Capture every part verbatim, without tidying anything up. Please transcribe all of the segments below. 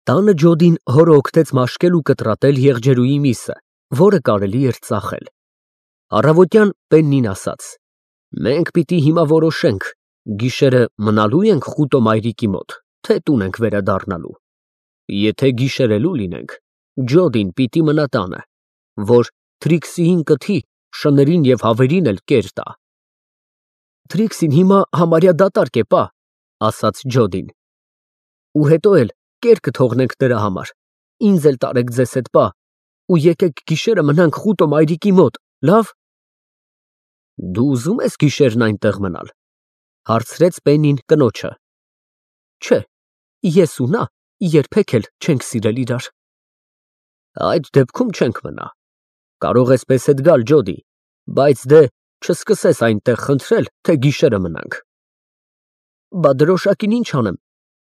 Տանը Ջոդին հորը օգնեց մաշկել ու կտրատել եղջերուի միսը, որը կարելի էր ծախել։ Առավոտյան Պեննին ասաց. «Մենք պիտի հիմա որոշենք, գիշերը մնալո՞ւ ենք Խուտո մայրիկի մոտ, թե տուն ենք վերադառնալու։ Եթե գիշերելու լինենք, Ջոդին պիտի մնա տանը, որ Թրիքսիին կթի, շներին և հավերին էլ կեր տա»։ Թրիքսին հիմա համարյա դատարկ է, պա, ասաց Ջոդին։ Ու հետո էլ կեր կթողնենք նրա համար, ինձ էլ տարեք ձեզ հետ, պա, ու եկեք գիշերը մնանք Խուտո մայրիկի մոտ, լավ։ Դու ուզում ես գիշերն այնտեղ մնալ, հարցրեց Պեննին կնոջը։ Չէ, ես ու նա երբեք էլ չենք սիրել իրար։ Այդ դեպքում չենք մնա։ Կարող ես պես հետ գալ, Ջոդի, բայց դե չսկսես այնտեղ խնդրել, թե գիշերը մնանք։ Բա դրոշակին ինչ անեմ,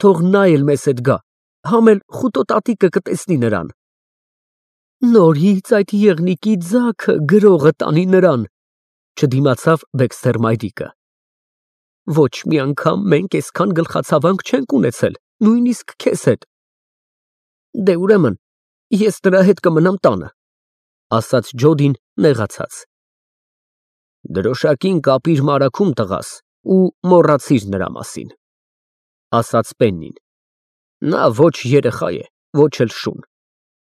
թող նա էլ մեզ հետ գա, համ էլ Խուտո տատիկը կտեսնի նրան։ Նորից այդ եղնիկի ձագը գրողը տանի նրան, չդիմացավ Բեքսթեր մայրիկը։ Ոչ մի անգամ մենք այսքան գլխացավանք չենք ունեցել, նույնիսկ քեզ հետ։ Դե ուրեմն, ես նրա հետ կմնամ տանը, ասաց Ջոդին նեղացած։ Դրոշակին կապիր մարագում տղաս ու մոռացիր նրա մասին, ասաց Պեննին։ Նա ոչ երեխա է, ոչ էլ շուն,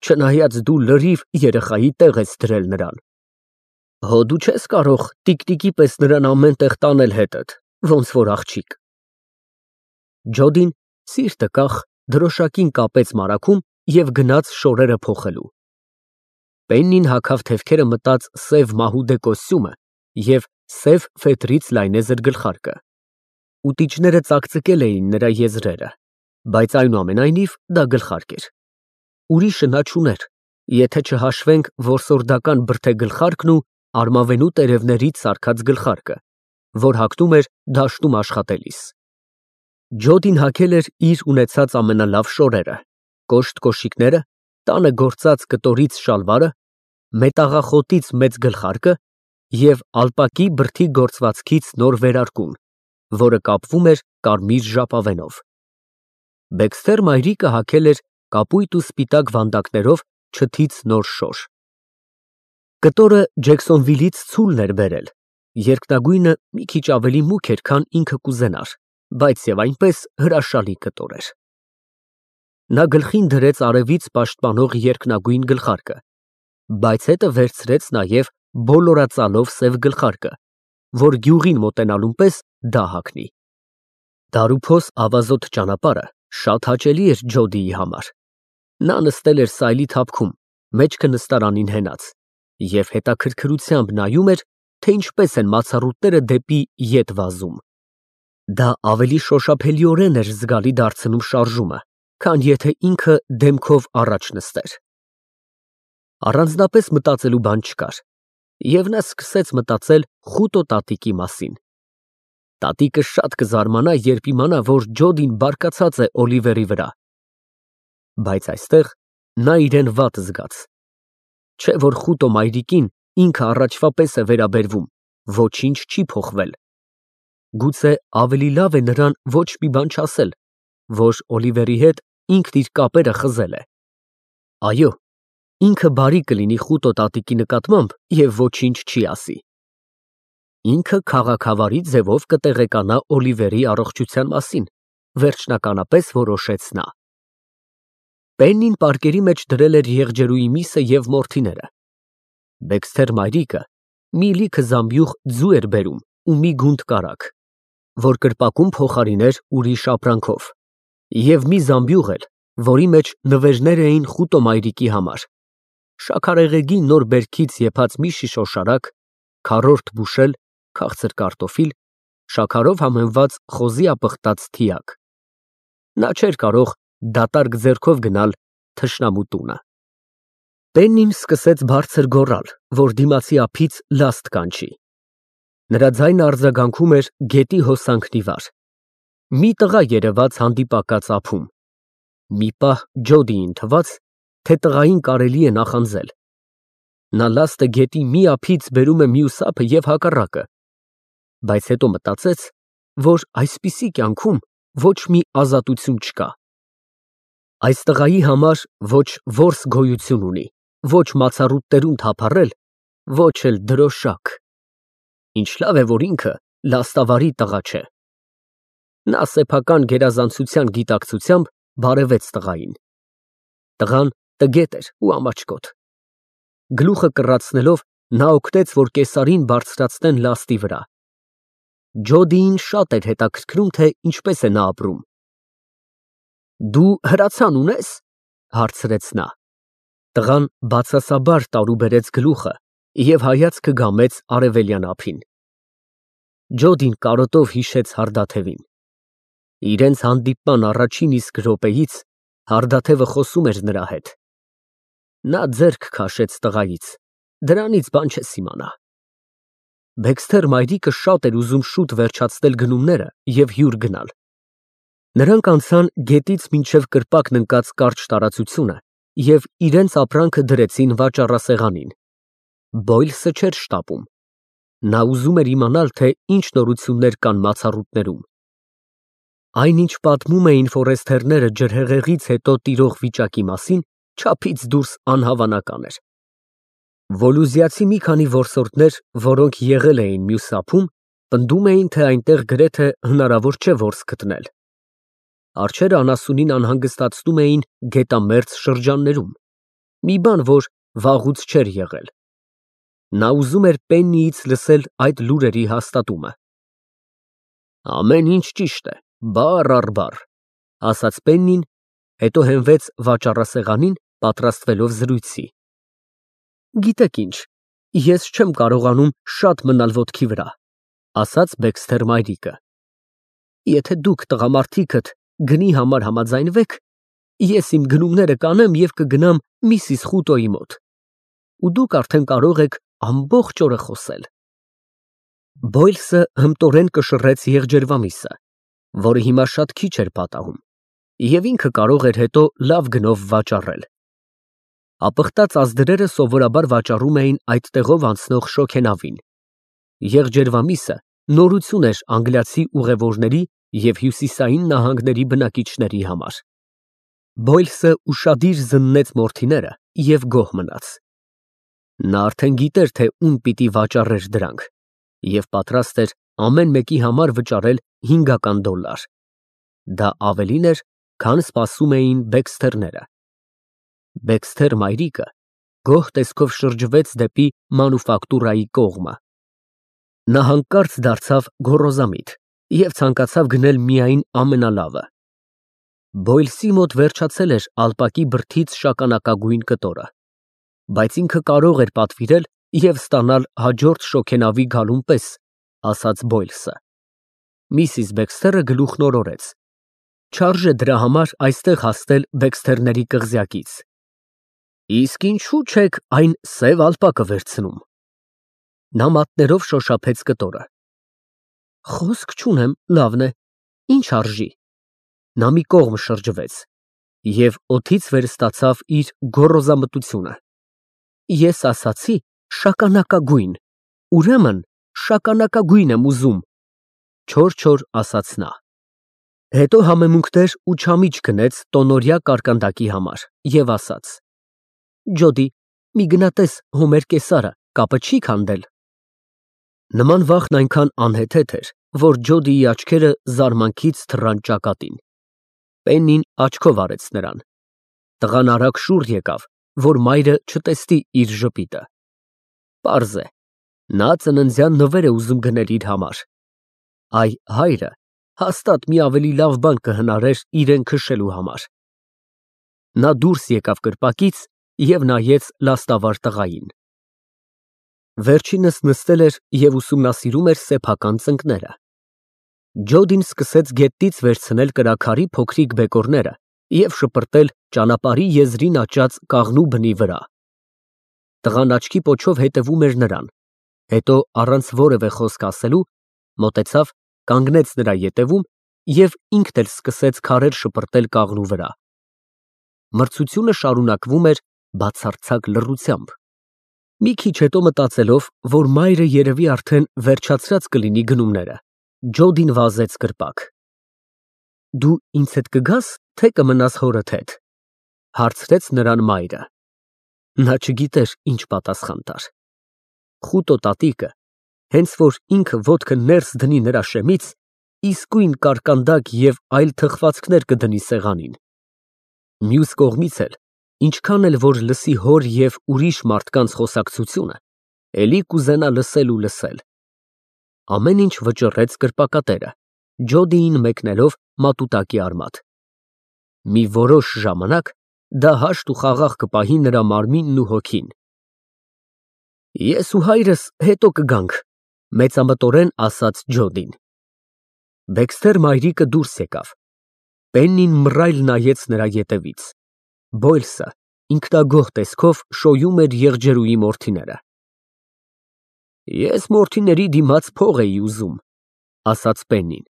չնայած դու լրիվ երեխայի տեղ ես դրել նրան։ Հո դու չես կարող տիկտիկի պես նրան ամեն տեղ տանել հետդ, ոնց որ աղջիկ։ Ջոդին սիրտը կախ դրոշակին կապեց մարագում և գնաց շորերը փոխելու։ Պեննին հագավ թևքերը մտած սև մահուդե կոստյումը և սև ֆետրից լայնեզր գլխարկը։ Ուտիչները ծակծկել էին նրա եզրերը, բայց այնուամենայնիվ դա գլխարկ էր։ Ուրիշը նա չուներ, եթե չհաշվենք որսորդական բրդե գլխարկն ու արմավենու տերևներից սարքած գլխարկը, որ հագնում էր դաշտում աշխատելիս։ Ջոդին հագել էր իր ունեցած ամենալավ շորերը, կոշտ կոշիկները, տանը գործած կտորից շալվարը, մետաղախոտից մեծ գլխարկը և ալպակի բրդի գործվածքից նոր վերարկուն, որը կապվում էր կարմիր ժապավենով։ Բեքսթեր մայրիկը հագել էր կապույտ ու սպիտակ վանդակներով չթից նոր շոր։ Կտորը Ջեքսոնվիլից ցուլն էր բերել, երկնագույնը մի քիչ ավելի մուգ էր, քան ինքը կուզենար, բայց և այնպես հրաշալի կտոր էր։ Նա գլխին դրեց արևից պաշտպանող երկնագույն գլխարկը, բայց հետը վերցրեց նաև բոլորածալով սև գլխարկը, որ գյուղին մոտենալուն պես դա հագնի։ Դարուփոս ավազոտ ճանապարհը շատ հաճելի էր Ջոդիի համար։ Նա նստել էր սայլի թափքում, մեջքը նստարանին հենած, և հետաքրքրությամբ նայում էր, թե ինչպես են մացառուտները դեպի ետ վազում։ Դա ավելի շոշափելիորեն էր զգալի դարձնում շարժումը, քան եթե ինքը դեմքով առաջ նստեր։ Առանձնապես մտածելու բան չկար, և նա սկսեց մտածել Խուտո տատիկի մասին։ Տատիկը շատ կզարմանա, երբ իմանա, որ Ջոդին բարկացած է Օլիվերի վրա։ Բայց այստեղ նա իրեն վատ զգաց։ Չէ որ Խուտո մայրիկին ինքը առաջվա պես է վերաբերվում, ոչինչ չի փոխվել։ Գուցե ավելի լավ է նրան ոչ մի բան չասել, որ Օլիվերի հետ ինքն իր կապերը խզել է։ Այո, ինքը բարի կլինի Խուտո տատիկի նկատմամբ և ոչինչ չի ասի։ Ինքը քաղաքավարի ձևով կտեղեկանա Օլիվերի առողջության մասին, վերջնականապես որոշեց նա։ Պեննին պարկերի մեջ դրել էր եղջերուի միսը և մորթիները։ Բեքսթեր մայրիկը մի լիքը զամբյուղ ձու էր բերում ու մի գունդ կարագ, որ կրպակում փոխարիներ ուրիշ ապրանքով, և մի զամբյուղ էլ, որի մեջ նվերներ էին Խուտո մայրիկի համար, շաքարեղեգի նոր բերքից եփած մի շիշ օշարակ, քառորդ բուշել, քաղցր կարտոֆիլ, շաքարով համեմված խոզի ապխտած թիակ։ Նա չէր կարող դատարկ ձեռքով գնալ թշնամու տունը։ Պեննին սկսեց բարձր գոռալ, որ դիմացի ափից լաստ կանչի։ Նրա ձայնը արձագանքում էր գետի հոսանքն ի վար։ Մի տղա երևաց հանդիպակաց ափում։ Մի պահ Ջոդիին թվաց, թե տղային կարելի է նախանձել։ Նա լաստը գետի մի ափից բերում է մյուս ափը և հակառակը, բայց հետո մտածեց, որ այսպիսի կյանքում ոչ մի ազատություն չկա։ Այս տղայի համար ոչ որս գոյություն ունի, ոչ մացառուտներում թափառել, ոչ էլ դրոշակ։ Ինչ լավ է, որ ինքը լաստավարի տղա չէ։ Նա սեփական գերազանցության գիտակցությամբ բարևեց տղային։ Տղան տգետ էր ու ամաչկոտ։ Գլուխը կռացնելով նա օգնեց, որ կեսարին բարձրացնեն լաստի վրա։ Ջոդիին շատ էր հետաքրքրում, թե ինչպես է նա ապրում։ Դու հրացան ունե՞ս, հարցրեց նա։ Տղան բացասաբար տարուբերեց գլուխը և հայացքը գամեց արևելյան ափին։ Ջոդին կարոտով հիշեց հարդաթևին։ Իրենց հանդիպման առաջին իսկ րոպեից հարդաթևը խոսում էր նրա հետ։ Նա ձեռք քաշեց տղայից, դրանից բան չես իմանա։ Բեքսթեր մայրիկը շատ էր ուզում շուտ վերջացնել գնումները և հյուր գնալ։ Նրանք անցան գետից մինչև կրպակն ընկած կարճ տարածությունը և իրենց ապրանքը դրեցին վաճառասեղանին։ Բոյլսը չէր շտապում։ Նա ուզում էր իմանալ, թե ինչ նորություններ կան մացառուտներում։ Այնինչ պատմում էին ֆորեստերները ջրհեղեղից հետո տիրող վիճակի մասին, չափից դուրս անհավանական էր։ Վոլուզիացի մի քանի որսորդներ, որոնք եղել էին մյուս ափում, պնդում էին, թե այնտեղ գրեթե հնարավոր չէ որս գտնել։ Արջերը անասունին անհանգստացնում էին գետամերձ շրջաններում, մի բան, որ վաղուց չէր եղել։ Նա ուզում էր Պեննիից լսել այդ լուրերի հաստատումը։ Ամեն ինչ ճիշտ է, բառ առ բառ, ասաց Պեննին, հետո հենվեց վաճառասեղանին, պատրաստվելով զրույցի։ Գիտեք ինչ, ես չեմ կարողանում շատ մնալ ոտքի վրա, ասաց Բեքսթեր մայրիկը։ Եթե դուք տղամարդիկդ գնի համար համաձայնվեք, ես իմ գնումները կանեմ և կգնամ միսիս Խուտոյի մոտ, ու դուք արդեն կարող եք ամբողջ օրը խոսել։ Բոյլսը հմտորեն կշռեց եղջերվամիսը, որը հիմա շատ քիչ էր պատահում, և ինքը կարող էր հետո լավ գնով վաճառել։ Ապխտած ազդրերը սովորաբար վաճառում էին այդ տեղով անցնող շոգենավին։ Եղջերվամիսը նորություն էր անգլիացի ուղևորների և հյուսիսային նահանգների բնակիչների համար։ Բոյլսը ուշադիր զննեց մորթիները և գոհ մնաց։ Նա արդեն գիտեր, թե ում պիտի վաճառեր դրանք, և պատրաստ էր ամեն մեկի համար վճարել հինգական դոլար։ Դա ավելին էր, քան սպասում էին Բեքսթերները։ Բեքսթեր մայրիկը գոհ տեսքով շրջվեց դեպի մանուֆակտուրայի կողմը։ Նա հանկարծ դարձավ գոռոզամիտ և ցանկացավ գնել միայն ամենալավը։ Բոյլսի մոտ վերջացել էր ալպակի բրդից շագանակագույն կտորը, բայց ինքը կարող էր պատվիրել և ստանալ հաջորդ շոգենավի գալուն պես, ասաց Բոյլսը։ Միսիս Բեքսթերը գլուխն օրորեց։ Չարժե դրա համար այստեղ հասնել Բեքսթերների կղզյակից։ Իսկ ինչու չեք այն սև ալպակը վերցնում։ Նա մատներով շոշափեց կտորը։ Խոսք չունեմ, լավն է, ինչ արժի։ Նա մի կողմ շրջվեց և օդից վեր ստացավ իր գոռոզամտությունը։ Ես ասացի շագանակագույն, ուրեմն շագանակագույն եմ ուզում, չոր-չոր ասաց նա։ Հետո համեմունքներ ու չամիչ գնեց տոնօրյա կարկանդակի համար և ասաց. Ջոդի, մի գնա տես Հոմեր կեսարը կապը չի քանդել։ Նման վախն այնքան անհեթեթ էր, որ Ջոդիի աչքերը զարմանքից թռան ճակատին։ Պեննին աչքով արեց նրան։ Տղան արագ շուռ եկավ, որ մայրը չտեսնի իր ժպիտը։ Պարզ է, նա ծննդյան նվեր է ուզում գնել իր համար։ Այ հայրը հաստատ մի ավելի լավ բան կհնարեր իրեն քշելու համար։ Նա դուրս եկավ կրպակից և նայեց լաստավար տղային։ Վերջինս նստել էր և ուսումնասիրում էր սեփական ծնկները։ Ջոդին սկսեց գետնից վերցնել կրաքարի փոքրիկ բեկորները և շպրտել ճանապարհի եզրին աճած կաղնու բնի վրա։ Տղան աչքի պոչով հետևում էր նրան, հետո առանց որևէ խոսք ասելու մոտեցավ, կանգնեց նրա ետևում և ինքն էլ սկսեց քարեր շպրտել կաղնու վրա։ Մրցությունը շարունակվում էր բացարձակ լռությամբ։ Մի քիչ հետո մտածելով, որ մայրը երևի արդեն վերջացրած կլինի գնումները, Ջոդին վազեց կրպակ։ Դու ինձ հետ կգա՞ս, թե կմնաս հորդ հետ։ Հարցրեց նրան մայրը։ Նա չգիտեր ինչ պատասխան տար։ Խուտո տատիկը, հենց որ ինքը ոտքը ներս դնի նրա շեմից, իսկույն կարկանդակ և այլ թխվածքներ կդնի սեղանին։ Մյուս կողմից էլ, ինչքան էլ որ լսի հոր և ուրիշ մարդկանց խոսակցությունը, էլի կուզենա լսել ու լսել։ Ամեն ինչ վճռեց կրպակատերը, Ջոդիին մեկնելով մատուտակի արմատ։ Մի որոշ ժամանակ դա հաշտ ու խաղաղ կպահի նրա մարմինն ու հոգին։ Ես ու հայրս հետո կգանք, մեծամտորեն ասաց Ջոդին։ Դեքսթեր մայրիկը դուրս եկավ։ Պեննին մռայլ նայեց նրա ետևից։ Բոյլսը ինքնագոհ տեսքով շոյում էր եղջերուի մորթիները։ Ես մորթիների դիմաց փող էի ուզում, ասաց Պեննին,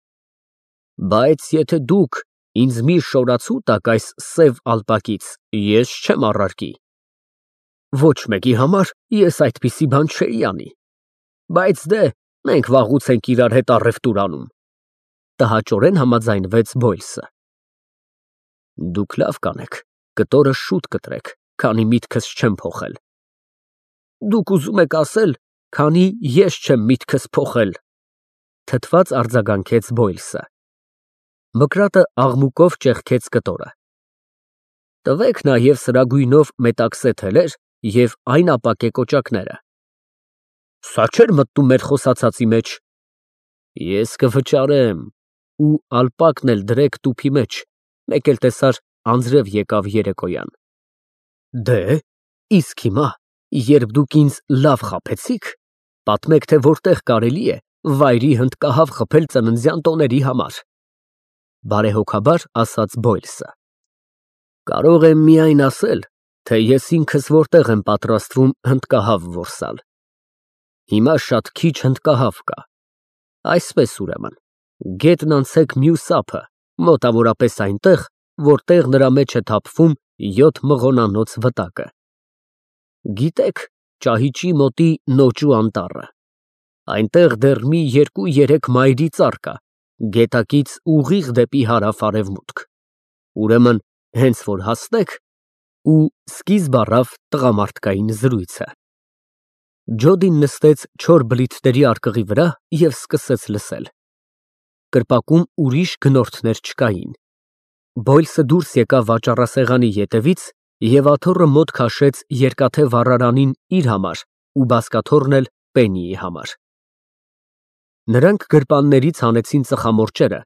բայց եթե դուք ինձ մի շորացու տաք այս սև ալպակից, ես չեմ առարկի։ Ոչ մեկի համար ես այդպիսի բան չէի անի, բայց դե մենք վաղուց ենք իրար հետ առևտուր անում, տհաճորեն համաձայնվեց Բոյլսը։ Դուք լավ կանեք, կտորը շուտ կտրեք, քանի միտքս չեմ փոխել։ Դուք ուզում եք ասել, քանի ես չեմ միտքս փոխել, թթված արձագանքեց Բոյլսը։ Մկրատը աղմուկով ճեղքեց կտորը։ Տվեք նաև սրագույնով մետաքսե թելեր և այն ապակե կոճակները։ Սա չէր մտնում մեր խոսացածի մեջ։ Ես կվճարեմ, ու ալպակն էլ դրեք տուփի մեջ, մեկ էլ տեսար անձրև եկավ երեկոյան։ Դե, իսկ հիմա, երբ դուք ինձ լավ խաբեցիք, պատմեք, թե որտեղ կարելի է վայրի հնդկահավ խփել ծննդյան տոների համար։ Բարեհոգաբար ասաց Բոյլսը։ Կարող եմ միայն ասել, թե ես ինքս որտեղ եմ պատրաստվում հնդկահավ որսալ։ Հիմա շատ քիչ հնդկահավ կա։ Այսպես ուրեմն, գետն անցեք մյուս ափը, մոտավորապես այնտեղ, որտեղ նրա մեջ է թափվում յոթ մղոնանոց վտակը։ Գիտեք ճահիճի մոտի Նոճու անտառը։ Այնտեղ դեռ մի երկու֊երեք մայրի ծառ կա, գետակից ուղիղ դեպի հարավ֊արևմուտք։ Ուրեմն, հենց որ հասնեք, ու սկիզբ առավ տղամարդկային զրույցը։ Ջոդին նստեց չոր բլիթների արկղի վրա և սկսեց լսել։ Կրպակում ուրիշ գնորդներ չկային։ Բոյլսը դուրս եկավ վաճառասեղանի ետևից և աթոռը մոտ քաշեց երկաթե վառարանին իր համար ու բազկաթոռն էլ Պեննիի համար։ Նրանք գրպաններից հանեցին ծխամորճերը,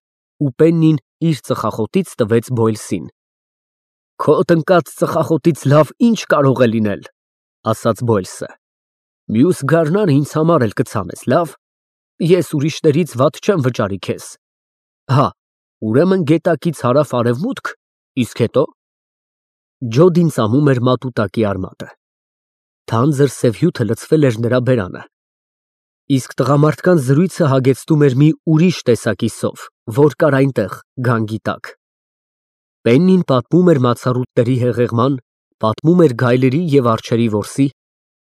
ու Պեննին իր ծխախոտից տվեց Բոյլսին։ Քո տնկած ծխախոտից լավ ինչ կարող է լինել, ասաց Բոյլսը։ Մյուս գարնանը ինձ համար էլ կցանես, լավ։ Ես ուրիշներից վատ չեմ վճարի քեզ։ Հա, ուրեմն գետակից հարավ֊արևմուտք, իսկ հետո։ Ջոդին ծամում էր մատուտակի արմատը։ Թանձր սև հյութը լցվել էր նրա բերանը։ Իսկ տղամարդկանց զրույցը հագեցնում էր մի ուրիշ տեսակի սով, որ կար այնտեղ, գանգի տակ։ Պեննին պատմում էր մացառուտների հեղեղման, պատմում էր գայլերի և արջերի որսի,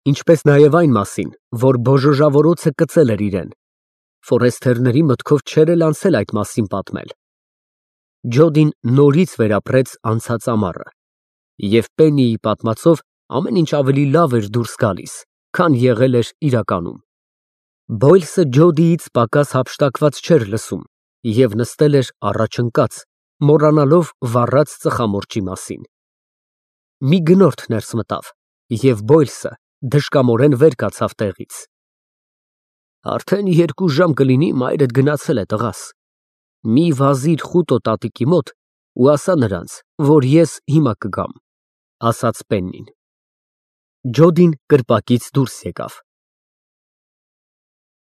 ինչպես նաև այն մասին, որ բոժոժավորոցը կծել էր իրեն։ Ֆորեստերների մտքով չէր էլ անցել այդ մասին պատմել։ Ջոդին նորից վերապրեց անցած ամառը, և Պեննիի պատմածով ամեն ինչ ավելի լավ էր դուրս գալիս, քան եղել էր իրականում։ Բոյլսը Ջոդիից պակաս հափշտակված չէր լսում և նստել էր առաջ ընկած, մոռանալով վառած ծխամորճի մասին։ Մի գնորդ ներս մտավ, և Բոյլսը դժկամորեն վեր կացավ տեղից։ Արդեն երկու ժամ կլինի մայրդ գնացել է, տղաս։ Մի վազիր Խուտո տատիկի մոտ ու ասա նրանց, որ ես հիմա կգամ, ասաց Պեննին։ Ջոդին կրպակից դուրս եկավ։